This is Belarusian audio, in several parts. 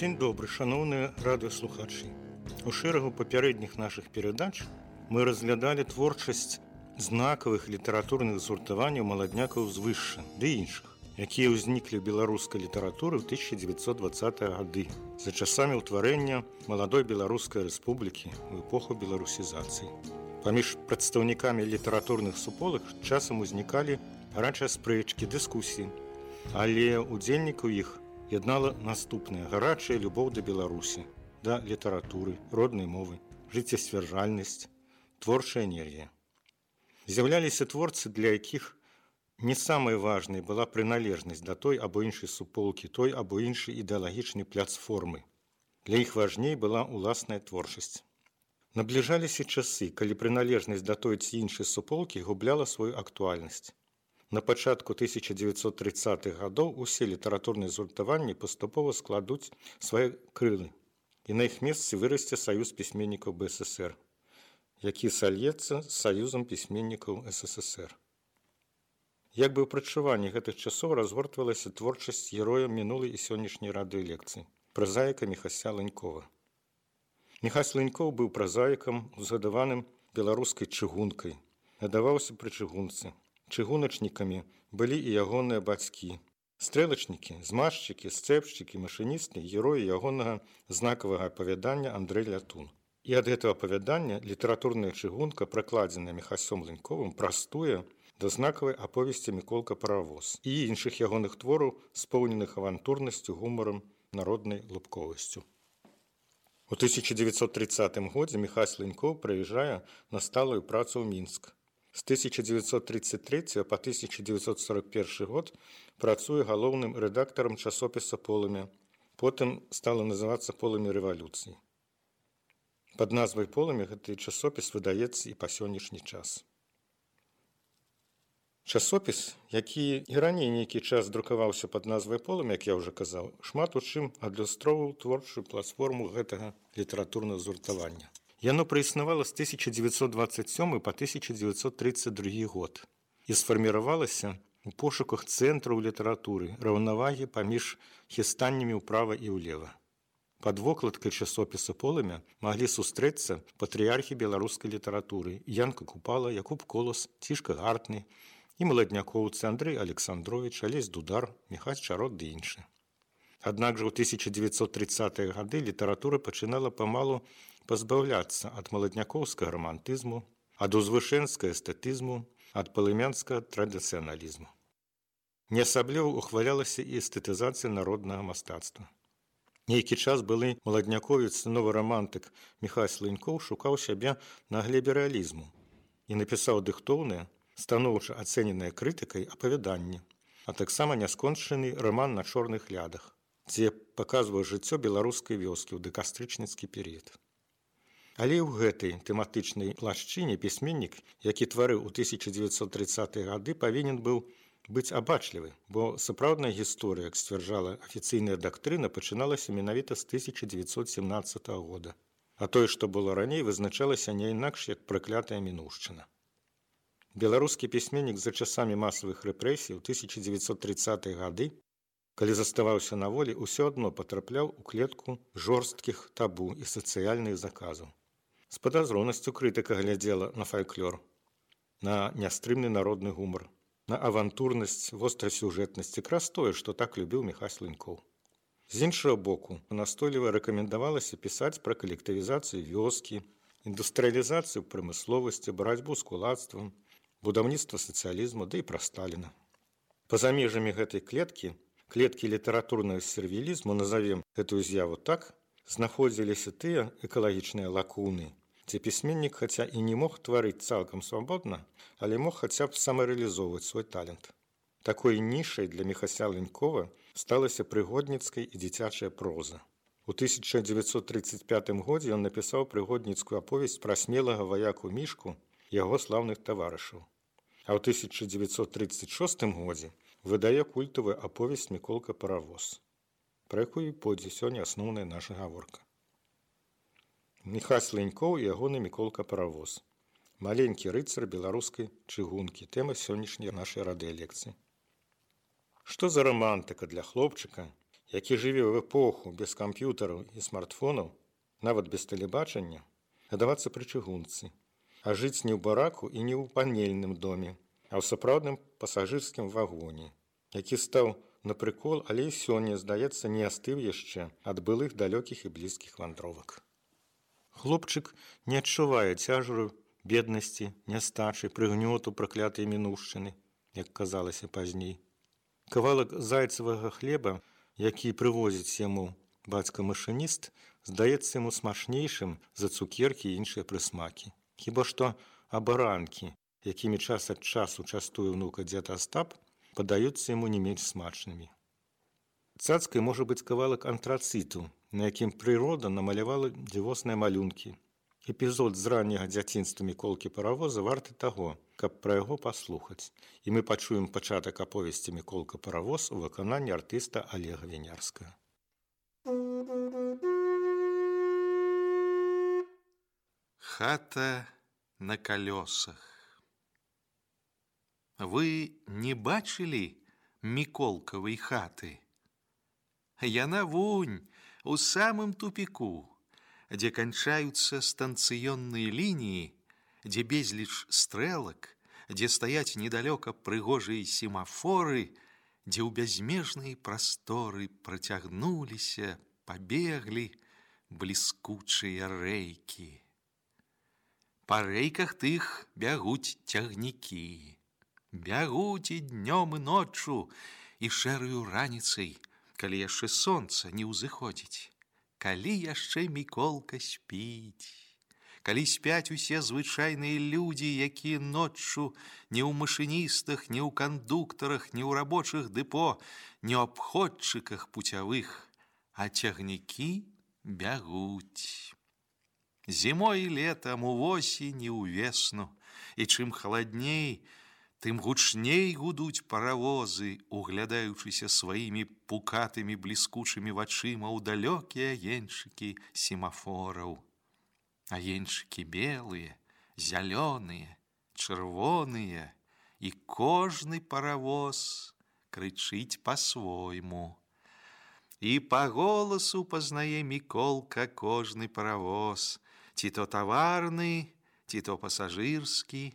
Дзень добры, шаноўныя радыёслухачы. У шэрагу папярэдніх нашых перадач мы разглядалі творчасць знакавых літаратурных згуртаванняў маладнякаў звышша ды іншых, якія ўзніклі ў беларускай літаратуры ў 1920-е гады за часамі ўтварэння маладой Беларускай рэспублікі ў эпоху беларусізацыі. Паміж прадстаўнікамі літаратурных суполак часам узнікалі гарачыя спрэчкі, дыскусіі, але удзельнікаў іх яднала наступная гарачая любоў да Беларусі, да літаратуры, роднай мовы, жыццесцвярджальнасць, творчая энергія. З'яўляліся творцы, для якіх не самай важнай была прыналежнасць да той або іншай суполкі, той або іншай ідэалагічнай платформы. Для іх важней была ўласная творчасць. Набліжаліся часы, калі прыналежнасць да той ці іншай суполкі губляла сваю актуальнасць. На пачатку 1930-х гадоў усе літаратурныя згуртаванні паступова складуць свае крылы, і на іх месцы вырасце Саюз пісьменнікаў БССР, які сальецца з Саюзам пісьменнікаў СССР. Як бы ў прадчуванні гэтых часоў разгортвалася творчасць героя мінулай і сённяшняй радыёлекцыі, празаіка Міхася Ланькова. Міхась Ланькоў быў празаікам, узгадаваным беларускай чыгункай, надаваўся пры чыгунцы. Чыгуначнікамі былі і ягоныя бацькі. Стрэлачнікі, змазчыкі, сцэпшчыкі, машыністы, героі ягонага знакавага апавядання Андрэй Лятун. І ад гэтага апавядання літаратурная чыгунка, пракладзеная Міхасём Ланьковым, прастуе да знакавай аповесці Міколка Паравоз і іншых ягоных твораў, споўненых авантурнасцю, гумарам, народнай лубковасцю. У 1930 годзе Міхась Ланькоў прыязджае на сталую працу ў Мінск. З 1933 па 1941 год працуе галоўным рэдактарам часопіса «Полымя». Потым стала называцца «Полымя рэвалюцыі». Пад назвай «Полымя» гэты часопіс выдаецца і па сённяшні час. Часопіс, які і раней нейкі час друкаваўся пад назвай «Полымя», як я ўжо казаў, шмат у чым адлюстроўваў творчую платформу гэтага літаратурнага згуртавання. Яно праіснавала з 1927 па 1932 год і сфарміравалася у пошуках цэнтраў літаратуры, раўнавагі паміж хістаннямі ўправа і ўлева. Пад вокладкай часопіса «Полымя» маглі сустрэцца патрыярхі беларускай літаратуры Янка Купала, Якуб Колас, Цішка Гартны і маладнякоўцы Андрэй Александровіч, Алесь Дудар, Міхась Чарот ды іншыя. Аднак жа ў 1930-е гады літаратура пачынала памалу пазбаўляцца ад маладнякоўскага рамантызму, ад узвышэнскага эстэтызму, ад палымянскага традыцыяналізму. Не асабліва ухвалялася і эстэтызацыя народнага мастацтва. Нейкі час былы маладняковец, новы рамантык Міхась Ланькоў шукаў сябе на глебе рэалізму і напісаў дыхтоўнае, станоўча ацэненае крытыкай апавяданне, а таксама няскончаны раман «На чорных лядах», дзе паказвае жыццё беларускай вёскі ў дакастрычніцкі перыяд. Але ў гэтай тэматычнай плашчыне пісьменнік, які тварыў у 1930-е гады, павінен быў быць абачлівы, бо сапраўдная гісторыя, як сцвярджала афіцыйная дактрына, пачыналася менавіта з 1917 года. А тое, што было раней, вызначалася не інакш, як праклятая мінуўшчына. Беларускі пісьменнік за часамі масавых рэпрэсій у 1930-е гады, калі заставаўся на волі, усё адно патрапляў у клетку жорсткіх табу і сацыяльных заказаў. З падазронасцю крытыка глядзела на фальклор, на нястрымны народны гумар, на авантурнасць, вострасюжэтнасць, якраз тое, што так любіў Міхась Ланькоў. З іншага боку, настойліва рэкамендавалася пісаць пра калектывізацыю вёскі, індустрыялізацыю прамысловасці, барацьбу з кулацтвам, будаўніцтва сацыялізму, ды і пра Сталіна. Па-за межамі гэтай клеткі літаратурнага сервілізму, назовем гэтую з'яву так, знаходзіліся тыя экалагічныя лакуны, дзе пісьменнік хаця і не мог тварыць цалкам свабодна, але мог хаця б самарэалізоўваць свой талент. Такой нішай для Міхася Ланькова сталася прыгодніцкая і дзіцячая проза. У 1935 годзе ён напісаў прыгодніцкую аповесць пра смелага ваяку Мішку і яго слаўных таварышаў. А ў 1936 годзе выдае культавую аповесць Міколка Паравоз, пра якую пойдзе сёння асноўная наша гаворка. Міхась Ланькоў і ягоны Міколка Паравоз. Маленькі рыцар беларускай чыгункі. Тэма сённяшняй нашай радыёлекцыі. Што за рамантыка для хлопчыка, які жыве ў эпоху без камп'ютараў і смартфонаў, нават без тэлебачання, гадавацца пры чыгунцы, а жыць не ў бараку і не ў панельным доме, а ў сапраўдным пасажырскім вагоне, які стаў на прыкол, але і сёння, здаецца, не астыў яшчэ ад былых далёкіх і блізкіх вандровак. Хлопчык не адчувае цяжару беднасці, нястачы, прыгнёту праклятай мінуўшчыны, як казалася пазней. Кавалак зайцавага хлеба, які прывозіць яму бацька-машыніст, здаецца яму смачнейшым за цукеркі і іншыя прысмакі. Хіба што абаранкі, якімі час ад часу частуе ўнука дзед Астап, падаюцца яму не менш смачнымі. Цацкай можа быць кавалак антрацыту, на якім прырода намалявала дзівосныя малюнкі. Эпізод з ранняга дзяцінства Міколкі Паравоза варты таго, каб пра яго паслухаць. І мы пачуем пачатак аповесці Міколка Паравоз у выкананні артыста Олега Вінярскага. Хата на колесах. Вы не бачылі Міколкавай хаты? Яна вунь у самым тупіку, дзе канчаюцца станцыённыя лініі, дзе безліч стрэлак, дзе стаяць недалёка прыгожыя семафоры, дзе ў бязмежныя прасторы працягнуліся, пабеглі бліскучыя рэйкі. Па рэйках тых бягуць цягнікі. Бягуць і днём і ноччу, і шэраю раніцай, калі яшчэ сонца не ўзыходзіць, калі яшчэ Міколка спіць, калі спяць усе звычайныя людзі, якія ноччу не ў машыністах, не ў кандуктарах, не ў рабочых дэпо, не ў абходчыках пуцявых, а цягнікі бягуць. Зімой і летам, увосень і ўвесну, і чым халадней, тым гучней гудуць паравозы, углядаючыся сваімі пукатымі бліскучымі вачыма ў далёкія агеньчыкі семафораў. Агеньчыкі белыя, зялёныя, чырвоныя, і кожны паравоз крычыць па-свойму. І па голасу пазнае Міколка кожны паравоз, ці то таварны, ці то пасажырскі,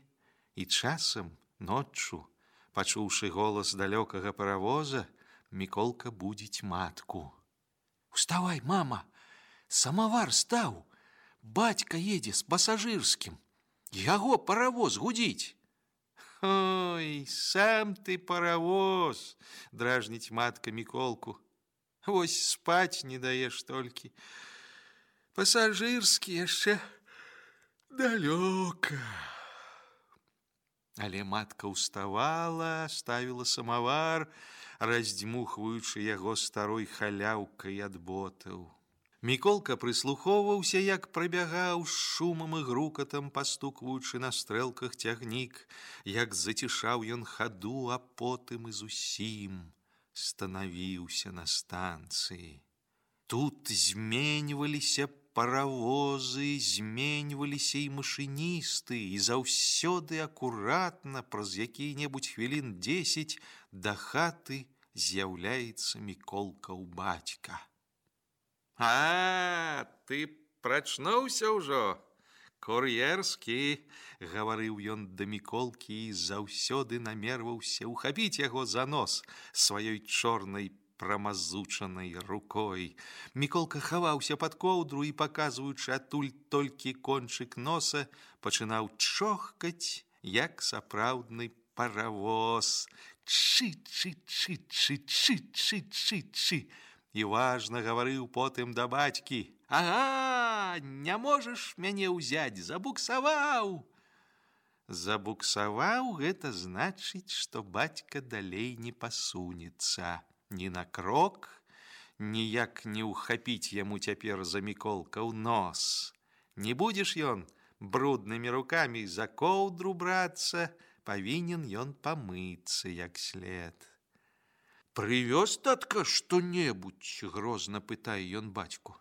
і часам ноччу, пачуўшы голас далёкага паравоза, Міколка будзіць матку. «Уставай, мама! Самавар стаў! Бацька едзе з пасажырскім! Яго паравоз гудзіць!» «Ой, сам ты паравоз!» – дражніць матка Міколку. «Вось спаць не даеш толькі. Пасажырскі яшчэ далёка». Але матка ўставала, ставіла самавар, раздзьмухваючы яго старой халяўкай ад ботаў. Міколка прыслухоўваўся, як прабягаў з шумам і грукатам, пастукваючы на стрэлках цягнік, як зацішаў ён хаду, а потым і зусім станавіўся на станцыі. Тут зменьваліся паравозы, зменьваліся і машыністы, і заўсёды акуратна праз якія-небудзь хвілін 10 да хаты з'яўляецца Міколкаў бацька. «А, ты прачнуўся ўжо? Кур'ерскі!» – гаварыў ён да Міколкі і заўсёды намерваўся ухапіць яго за нос сваёй чорнай прамазучанай рукой. Міколка хаваўся пад коўдру і, паказваючы адтуль толькі кончык носа, пачынаў чохкаць, як сапраўдны паравоз. Чы-чы-чы-чы-чы-чы-чы-чы. І важна гаварыў потым да бацькі. «Ага, не можаш мяне ўзяць, забуксаваў!» Забуксаваў – гэта значыць, што бацька далей не пасунецца. Ні на крок, ніяк не ўхапіць яму цяпер за Міколкаў нос. Не будзеш ён бруднымі рукамі за коўдру брацца, павінен ён памыцца як след. «Прывёз, татка, што-небудзь?» – грозна пытае ён бацьку.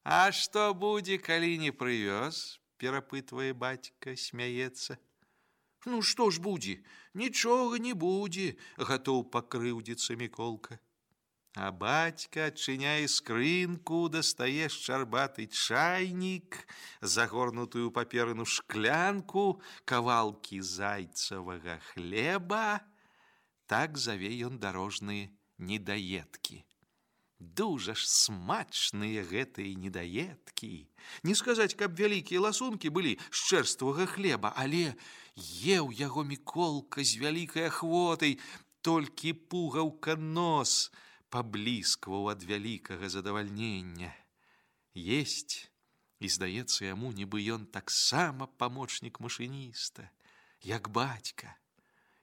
«А што будзе, калі не прывёз?» – перапытвае бацька, смяецца. «Ну што ж будзе? Нічога не будзе», – гатоў пакрыўдзіцца Міколка. А бацька адчыняе скрынку, дастае шчарбаты чайнік, загорнутую паперыну шклянку, кавалкі зайцавага хлеба. Так заве ён дарожныя недаедкі. Дужа ж смачныя гэтыя недаедкі. Не сказаць, каб вялікія ласункі былі з чэрствага хлеба, але еў яго Міколка з вялікай ахвотай, толькі пугаўка нос пабліскваў ад вялікага задавальнення. Есць, і здаецца яму, нібы ён таксама памочнік машыніста, як бацька.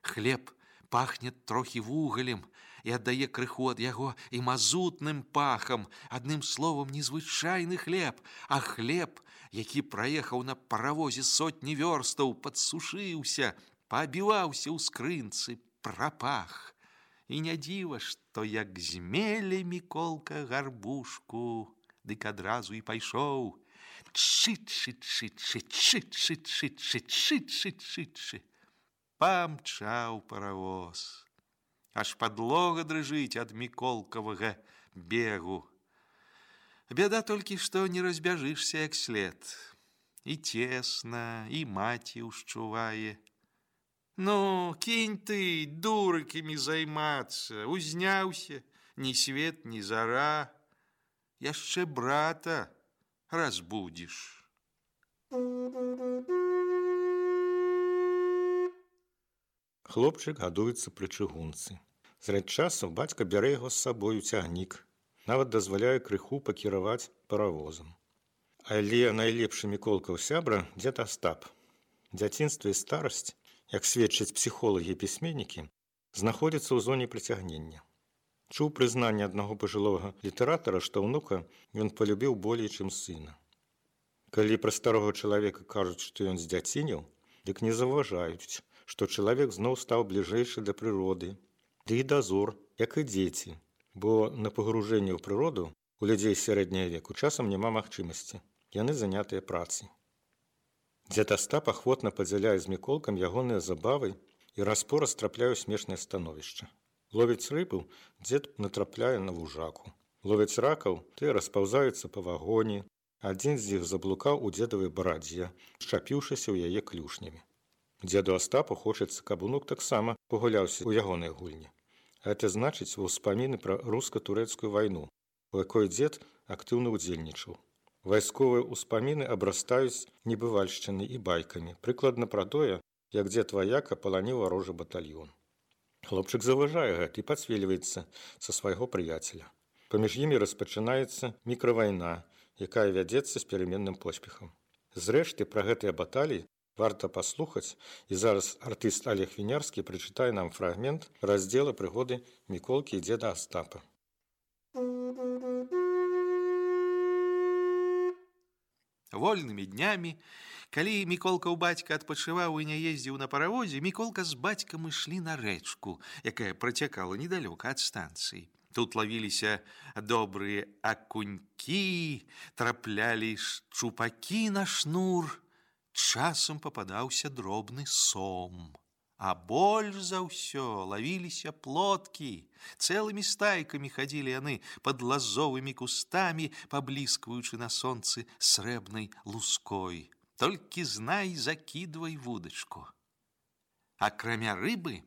Хлеб пахне трохі вугалем і аддае крыху ад яго і мазутным пахам. Адным словам, незвычайны хлеб, а хлеб, які праехаў на паравозе сотні вёрстаў, падсушыўся, паабіваўся ў скрынцы, прапах. І не дзіва, што як змеле Міколка гарбушку, дык адразу і пайшоў. Чыт-чыт-чыт-чыт-чыт-чыт-чыт-чыт-чыт-чыт. Памчаў паравоз. Аж падлога дрыжыць ад Міколкавага бегу. Бяда толькі, што не разбяжышся як след. І цесна, і маці ўшчувае. Ну, кінь ты дурыкамі займацца, узняўся, ні свет, ні зара. Яшчэ брата разбудзіш. Хлопчык гадуецца пры чыгунцы. Зрэдь часу бацька бярэ яго з сабой у цягнік, нават дазваляе крыху пакіраваць паравозам. Але найлепшы Міколкаў сябра дзед Астап. Дзяцінства і старасць, як сведчаць псіхолагі і пісьменнікі, знаходзіцца ў зоне прыцягнення. Чуў прызнанне аднаго пажылога літаратара, што ўнука ён палюбіў болей, чым сына. Калі пра старога чалавека кажуць, што ён здзяцініў, дык не заўважаюць, што чалавек зноў стаў бліжэйшы да прыроды, ды і дазор, як і дзеці, бо на пагружэнне ў прыроду у людзей сярэдняга веку часам няма магчымасці, яны занятыя працай. Дзед Астап ахвотна падзяляе з Міколкам ягоныя забавы і раз-пораз трапляе ў смешнае становішча. Ловіць рыбу дзед натрапляе на вужаку. Ловіць ракаў, тыя распаўзаюцца па вагоне. Адзін з іх заблукаў у дзедавай барадзе, шчапіўшыся ў яе клюшнямі. Дзеду Астапу хочацца, каб унук таксама пагуляўся ў ягонай гульні. Гэта значыць успаміны пра руска-турэцкую вайну, у якой дзед актыўна ўдзельнічаў. Вайсковыя ўспаміны абрастаюць небывальшчынай і байкамі, прыкладна пра тое, як дзед ваяка паланіў варожы батальён. Хлопчык заўважае гэта і пацвельваецца са свайго прыяцеля. Паміж імі распачынаецца мікравайна, якая вядзецца з пераменным поспехам. Зрэшты, пра гэтыя баталіі варта паслухаць, і зараз артыст Олег Вінярскі прачытае нам фрагмент раздзела прыгоды Міколкі і дзеда Астапа. Вольнымі днямі, калі Міколкаў бацька адпачываў і не ездзіў на паравозе, Міколка з бацькам ішлі на рэчку, якая працякала недалёка ад станцыі. Тут лавіліся добрыя акунькі, траплялі шчупакі на шнур. Часам пападаўся дробны сом. А больш за ўсё лавіліся плоткі. Цэлымі стайкамі хадзілі яны пад лазовымі кустамі, пабліскваючы на сонцы срэбнай луской. Толькі знай, закідвай вудачку. Акрамя рыбы,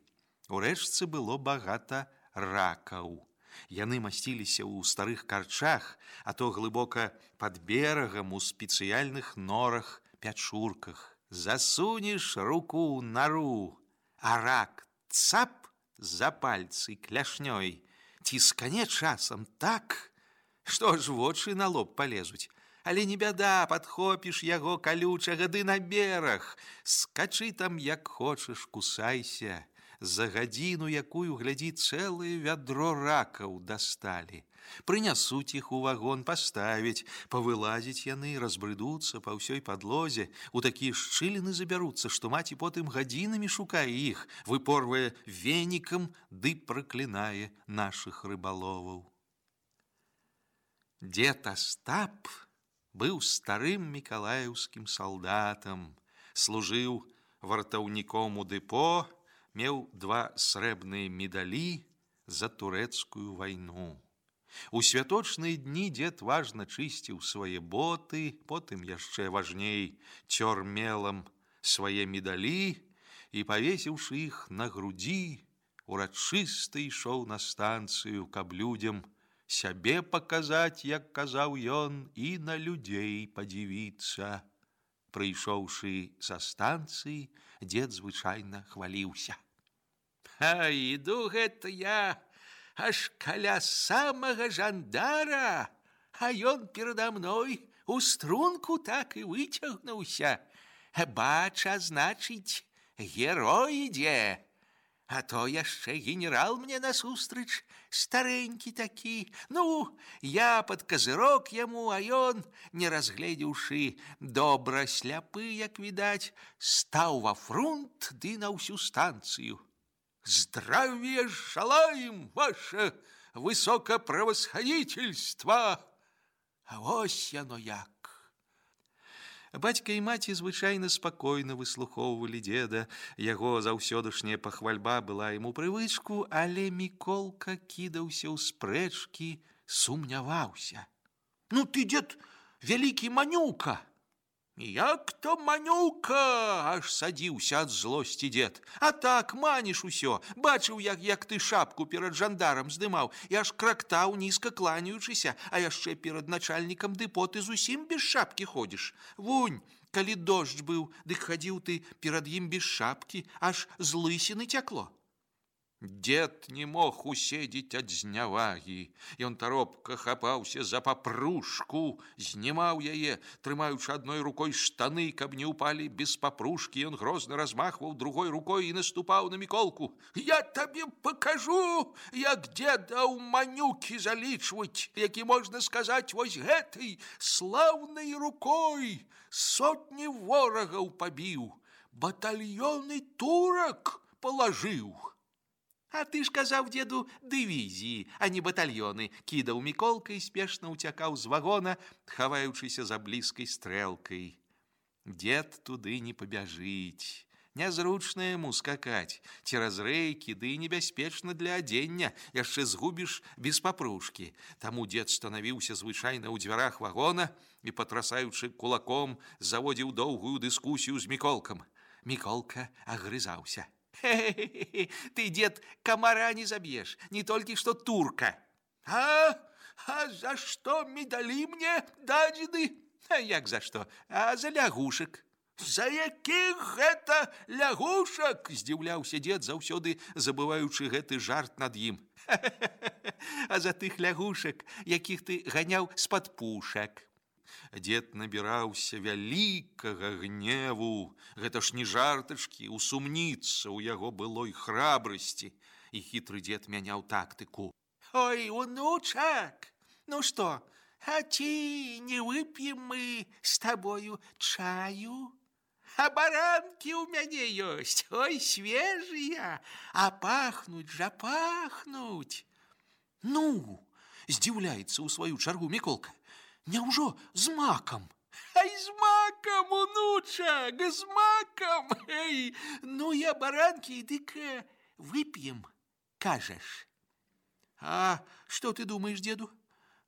у рэчцы было багата ракаў. Яны масціліся ў старых карчах, а то глыбока пад берагам у спецыяльных норах, пячурках. Засунеш руку ў нару, а рак цап за пальцы кляшнёй, ціскане часам так, што ж вочы на лоб палезуць. Але не бяда, падхопіш яго калючага ды на бераг. Скачы там як хочаш, кусайся. За гадзіну, якую, глядзі, цэлае вядро ракаў дасталі. Прынясуць іх у вагон, паставіць, павылазіць яны, разбрыдуцца па ўсёй падлозе, у такія шчыліны забяруцца, што маці потым гадзінамі шукае іх, выпорвае венікам ды праклінае нашых рыбаловаў. Дзед Астап быў старым мікалаеўскім салдатам, служыў вартаўніком у дэпо, меў 2 срэбныя медалі за турэцкую вайну. У святочныя дні дзед важна чысціў свае боты, потым яшчэ важней цёр мелам свае медалі і, павесіўшы іх на грудзі, урачыста ішоў на станцыю, каб людзям сябе паказаць, як казаў ён, і на людзей падзівіцца. Прыйшоўшы са станцыі, дзед звычайна хваліўся. А іду гэта я аж каля самага жандара, а ён перада мной у струнку так і выцягнуўся. Бача, значыць, герой ідзе. А то яшчэ генерал мне насустрач, старенькі такі. Ну, я пад казырок яму, а ён, не разгледзеўшы, добра сляпы, як відаць, стаў ва фрунт ды на ўсю станцыю. Здравия желаем, ваше высокопревосходительство! А вось яно як. Бацька і маці звычайна спакойна выслухоўвалі дзеда. Яго заўсёдашняя пахвальба была яму прывычку, але Міколка кідаўся ў спрэчкі, сумняваўся. Ну ты, дзед, вялікі манюка. Як то манюка, аж садзіўся ад злосці дзед. А так, маніш усё. Бачыў, як ты шапку перад жандарам здымаў, і аж крактаў, нізка кланяючыся, а яшчэ перад начальнікам дэпо ты зусім без шапкі ходзіш. Вунь, калі дождж быў, дык хадзіў ты перад ім без шапкі, аж з лысіны цякло. Дед не мог уседзець ад знявагі. Ён таропка хапаўся за папружку, знімаў яе, трымаючы адной рукой штаны, каб не ўпалі без папружкі. Ён грозна размахваў другой рукой і наступаў на Міколку. Я табе пакажу, як деда ў манюкі залічваць, які, можна сказаць, вось гэтай слаўнай рукой сотні ворагаў пабіў, батальёны турак палажыў. А ты ж казаў деду дывізіі, а не батальёны, кідаў Міколка і спешна ўцякаў з вагона, хаваючыся за блізкай стрэлкай. Дед туды не пабяжыць. Нязручна яму скакаць цераз рэйкі, ды і небяспечна для адзення, яшчэ згубіш без папружкі. Таму дед станавіўся звычайна ў дзвярах вагона і, патрасаючы кулаком, заводзіў доўгую дыскусію з Міколкам. Міколка агрызаўся. Хе-хе-хе, ты, дед, комара не забьешь, не только что турка. А за что медали мне дадзены? А як за что? А за лягушек. За якіх гэта лягушак? Здзіўляўся дед, заўсёды забываючы гэты жарт над ім. А за тых лягушак, якіх ты ганяў з-пад пушак. Дед набіраўся вялікага гневу. Гэта ж не жартачкі, усумніцца ў яго былой храбрасці. І хітры дед мяняў тактыку. Ой, унучак, ну што, а ці не вып'ем мы з табою чаю? А баранкі ў мяне ёсць, ой, свежыя, а пахнуць жа пахнуць. Ну, здзіўляецца ў сваю чаргу Міколка. Няўжо з макам? Ай, з макам, унучак, з макам. Эй, ну я баранкі, дык вып'ем, кажаш. А што ты думаеш, деду?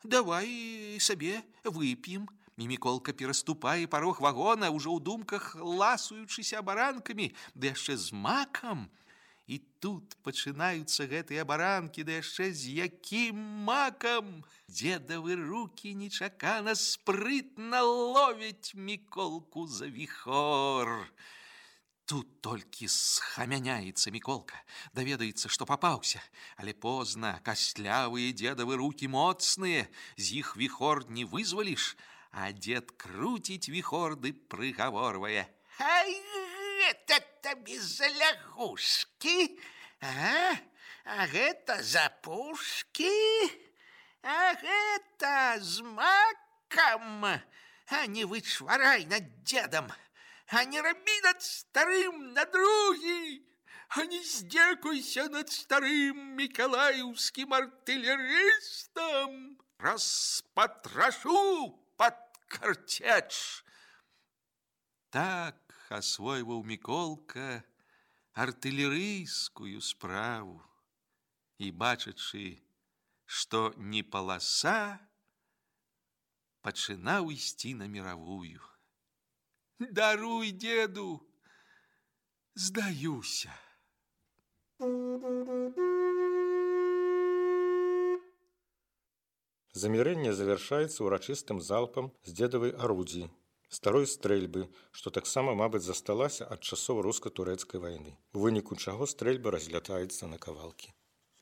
Давай сабе вып'ем. І Міколка пераступае парог вагона, ужо ў думках ласуючыся баранкамі, ды яшчэ з макам. І тут пачынаюцца гэтыя баранкі, да яшчэ з якім макам. Дзедавы рукі нечакана спрытна ловяць Міколку за віхор. Тут толькі схамяняецца Міколка, даведаецца, што папаўся, але позна, кастлявыя дзедавы рукі моцныя, з іх віхор не вызваліш, а дзед круціць віхор ды прыгаворвае. Ай, гэта табе за лягушкі, а гэта за пушкі, а гэта з макам. А не вычварай над дзедам, а не рабі над старым на другі, а не здзекуйся над старым мікалаеўскім артылерыстам. Распатрашу пад карцеч. Так асвойваў Міколка артылерыйскую справу і, бачачы што не паласа, пачынаў ісці на мировую. Даруй, деду, здаюся. Замірэнне завяршаецца ўрачыстым залпам з дзедавай арудзіі, старой стрэльбы, што таксама, мабыць, засталася ад часоў руска-турэцкай вайны, у выніку чаго стрэльба разлятаецца на кавалкі.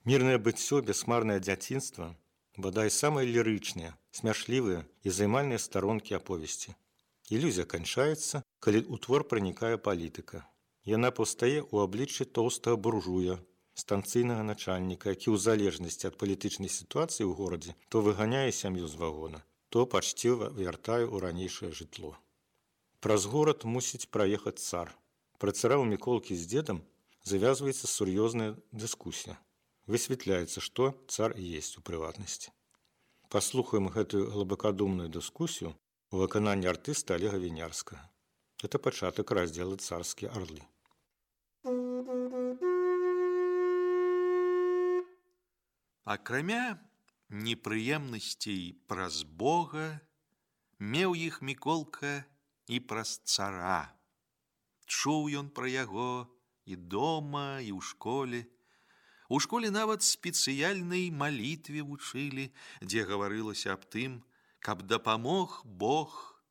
Мірнае быццё, бясмарнае дзяцінства, бадай самыя лірычныя, смяшлівыя і займальныя старонкі аповесці. Ілюзія канчаецца, калі ў твор пранікае палітыка. Яна паўстае ў абліччы тоўстага буржуя, станцыйнага начальніка, які ў залежнасці ад палітычнай сітуацыі ў горадзе то выганяе сям'ю з вагона, то пачціва вяртае ў ранейшае жытло. Праз горад мусіць праехаць цар. Пра цара ў Міколкі з дзедам завязваецца сур'ёзная дыскусія. Высвятляецца, што цар есть у прыватнасці. Паслухаем гэтую глыбакадумную дыскусію у выкананні артыста Олега Вінярскага. Это пачатак раздзела «Царскія арлы». Акрамя непрыемнасцей праз Бога, меў іх Міколка і праз цара. Чуў ён пра яго і дома, і ў школе. У школе нават спецыяльнай малітве вучылі, дзе гаварылася аб тым, каб дапамог Бог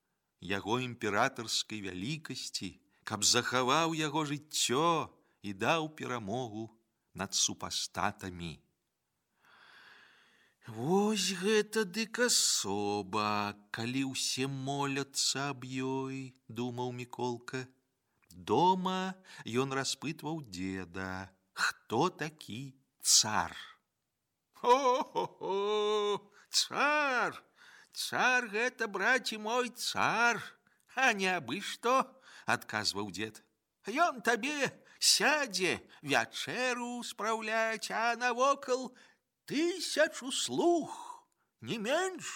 яго імператарскай вялікасці, каб захаваў яго жыццё і даў перамогу над супастатамі. Вось гэта дык асоба, калі ўсе моляцца аб ёй, думаў Міколка. Дома ён распытваў деда, хто такі цар. О-хо-хо, цар! Цар гэта, браці мой, цар, а не абы што, адказваў дед. Ён табе сядзе вячэру спраўляць, а навокал 1000 слуг, не менш.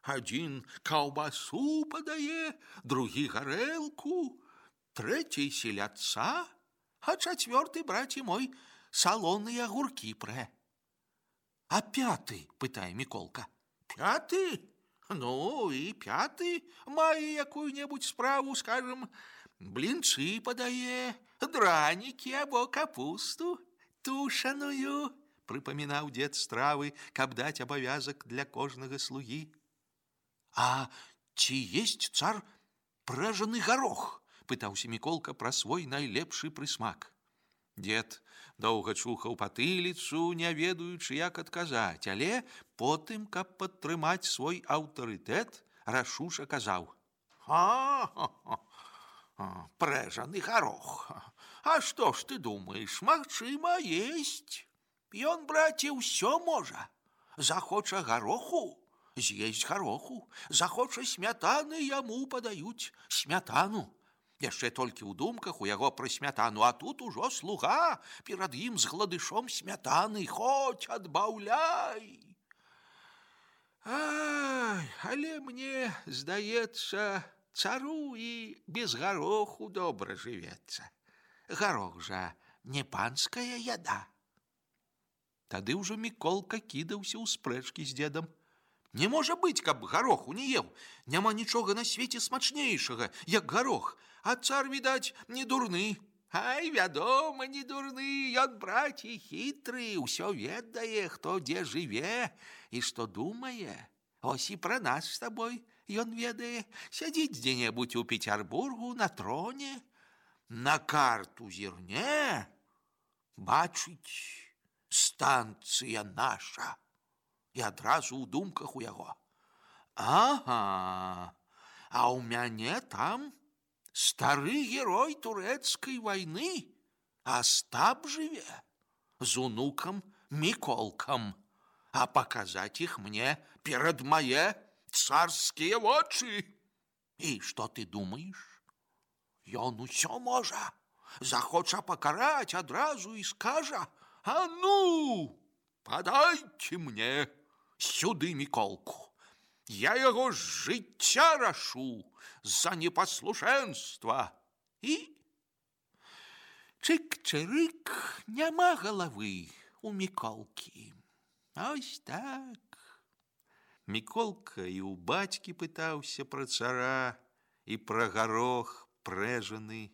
Адзін каўбасу падае, другі гарэлку, трэці селядца, а чацвёрты, браці мой, салоныя агуркі прэ. А пяты, пытае Міколка. Пяты? Ну, і пяты мае якую-небудзь справу, скажем, блінцы падае, дранікі або капусту тушаную, прыпамінаў дед стравы, каб даць абавязак для кожнага слугі. А ці есть цар пражаны гарох? Пытаўся Міколка пра свой найлепшы прысмак. Дед доўга чухаў патыліцу, не ведаючы, як адказаць, але потым, каб падтрымаць свой аўтарытэт, рашуша казаў: пражаны гарох. А што ж ты думаеш, магчыма, есть. Ён, браце, ўсё можа. Захоча гароху, з'есть гароху. Захоча смятаны, яму падаюць смятану. Яшчэ толькі ў думках у яго пра смятану, а тут ужо слуга перад ім з гладышом смятаны, хоць адбаўляй. Ай, але мне здаецца, цару і без гароху добра жывецца. Гарох жа не панская яда. Тады ўжо Міколка кідаўся ў спрэчкі з дзедам. Не можа быць, каб гароху не еў. Няма нічога на свеце смачнейшага, як гарох. А цар, відаць, не дурны. Ай, вядома, не дурны. Ён, браці, хітры, усё ведае, хто дзе жыве і што думае. Ось і пра нас з табой ён ведае. Сядзіць дзе-небудзь у Петербургу на троне, на карту зірне, бачыць, станцыя наша. І адразу ў думках у яго: ага, а ў мяне там стары герой турэцкай вайны, Астап жыве з унукам Міколкам, а паказаць іх мне перад мае царскія вочы. І што ты думаеш? Ён усё можа. Захоча пакараць адразу і скажа: а ну, падайце мне сюды Міколку. Я яго з жыцця рашу за непаслушэнства. І чык-чырык, няма галавы у Міколкі. Ось так. Міколка і ў бацькі пытаўся пра цара і пра гарох прэжаны.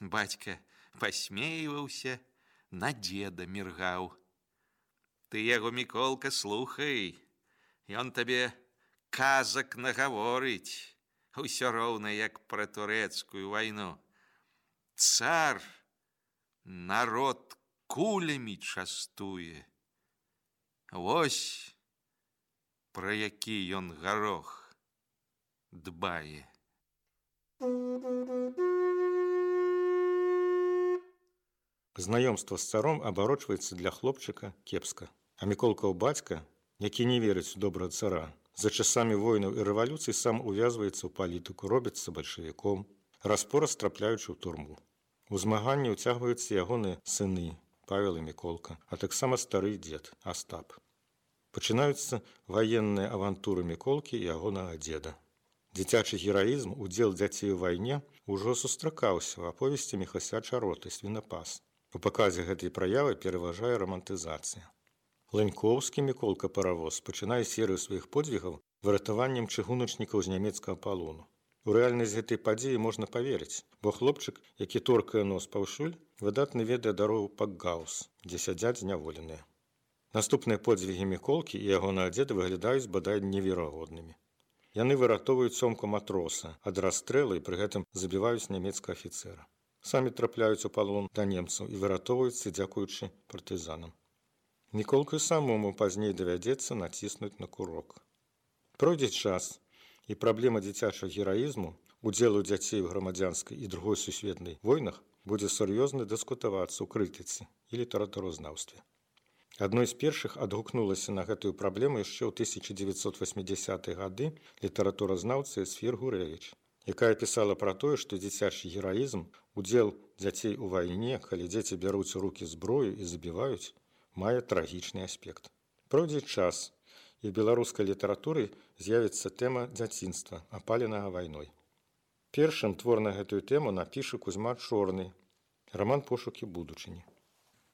Бацька пасмейваўся, на дзеда міргаў. Ты яго, Міколка, слухай, ён табе казак нагаворыць, усё роўна як пра турэцкую вайну. Цар народ кулямі частуе. Вось пра які ён гарох дбае. Знаёмства з царом абарочваецца для хлопчыка кепска. А Міколкаў бацька, які не верыць у добрага цара, за часамі войнаў і рэвалюцый сам увязваецца ў палітыку, робіцца бальшавіком, раз-пораз трапляючы ў турму. У змаганні ўцягваюцца ягоныя сыны Павел і Міколка, а таксама стары дзед Астап. Пачынаюцца ваенныя авантуры Міколкі і ягонага дзеда. Дзіцячы гераізм, удзел дзяцей у вайне ўжо сустракаўся ў аповесці Міхася Чароты «Свінапас». У паказе гэтай праявы пераважае рамантызацыя. Ланькоўскі Міколка-паравоз пачынае серыю сваіх подзвігаў выратаваннем чыгуначнікаў з нямецкага палону. У рэальнасць гэтай падзеі можна паверыць, бо хлопчык, які торкае нос паўшуль, выдатна ведае дарогу Пакгаус, дзе сядзяць зняволеныя. Наступныя подзвігі Міколкі і ягонага дзеда выглядаюць бадай неверагоднымі. Яны выратоўваюць цёмку матроса ад расстрэлу і пры гэтым забіваюць нямецкага афіцэра. Самі трапляюць у палон да немцаў і выратоўваюцца дзякуючы партызанам. Міколку самому пазней давядзецца націснуць на курок. Пройдзе час, і праблема дзіцячага гераізму, удзелу дзяцей у грамадзянскай і другой сусветнай войнах будзе сур'ёзна дыскутавацца ў крытыцы і літаратуразнаўстве. Адной з першых адгукнулася на гэтую праблему яшчэ ў 1980-е гады літаратуразнаўца Эсфір Гурэвіч, якая пісала пра тое, што дзіцячы гераізм, удзел дзяцей у вайне, калі дзеці бяруць у рукі зброю і забіваюць, мае трагічны аспект. Пройдзе час, і в беларускай літаратуры з'явіцца тэма дзяцінства, апаленага вайной. Першым твор на гэтую тэму напіша Кузьма Чорны, раман «Пошукі будучыні».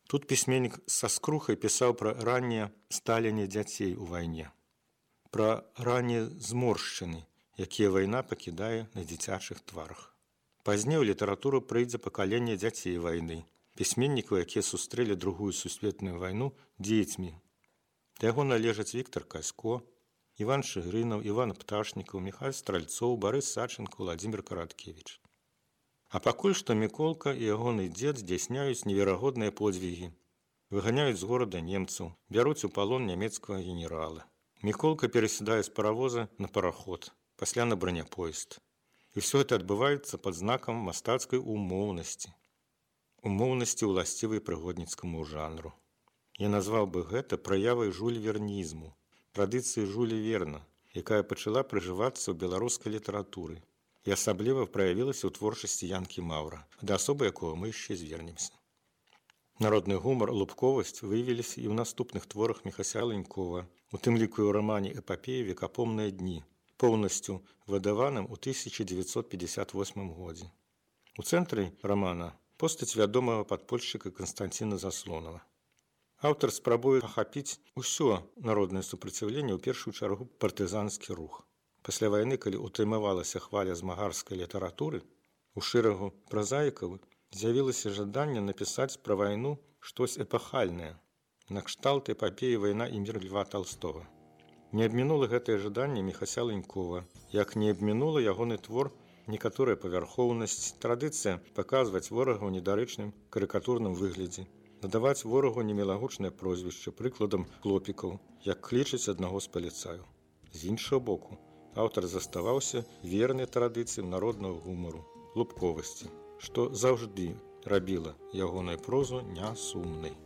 Тут пісьменнік са скрухай пісаў пра раннее сталенне дзяцей у вайне, пра раннія зморшчыны, якія вайна пакідае на дзіцячых тварах. Пазней у літаратуру прыйдзе пакаленне дзяцей вайны, пісьменнікаў, якія сустрэлі другую сусветную вайну дзецьмі. Да яго належаць Віктар Касько, Іван Шыгрынаў, Іван Пташнікаў, Міхаль Стральцоў, Барыс Саченко, Владзімір Караткевіч. А пакуль што Міколка і ягоны дзед здзяйсняюць неверагодныя подзвігі, выганяюць з горада немцаў, бяруць у палон нямецкага генерала. Міколка перасядае з паравоза на параход, пасля на браняпоезд. І ўсё гэта адбываецца пад знакам мастацкай умоўнасці. Умоўнасці ўласцівай прыгодніцкаму жанру. Я назваў бы гэта праявай жульвернізму, традыцыі Жюля Верна, якая пачала прыжывацца ў беларускай літаратуры і асабліва праявілася ў творчасці Янкі Маўра, да асобы якога мы яшчэ звернемся. Народны гумар, лубковасць выявіліся і ў наступных творах Міхася Ланькова, у тым ліку і ў рамане эпапеі «Векапомныя дні», поўнасцю выдаваным у 1958 годзе. У цэнтры рамана постаць вядомага падпольшчыка Канстанціна Заслонава. Аўтар спрабуе ахапіць усё народнае супраціўленне, ў першую чаргу партызанскі рух. Пасля вайны, калі утрымавалася хваля змагарскай літаратуры, у шэрагу празаікаў з'явілася жаданне напісаць пра вайну штось эпахальнае, накшталт эпапеі «Вайна і мір» Льва Талстога. Не абмінула гэтае жаданне Міхася Ланькова, як не абмінула ягоны твор некаторая павярхоўнасць, традыцыя паказваць ворага ў недарэчным карыкатурным выглядзе, надаваць ворагу немілагучнае прозвішча, прыкладам хлопікаў, як клічаць аднаго з паліцаю. З іншага боку, аўтар заставаўся верны традыцыям народнага гумару, лубковасці, што заўжды рабіла ягоную прозу нясумнай.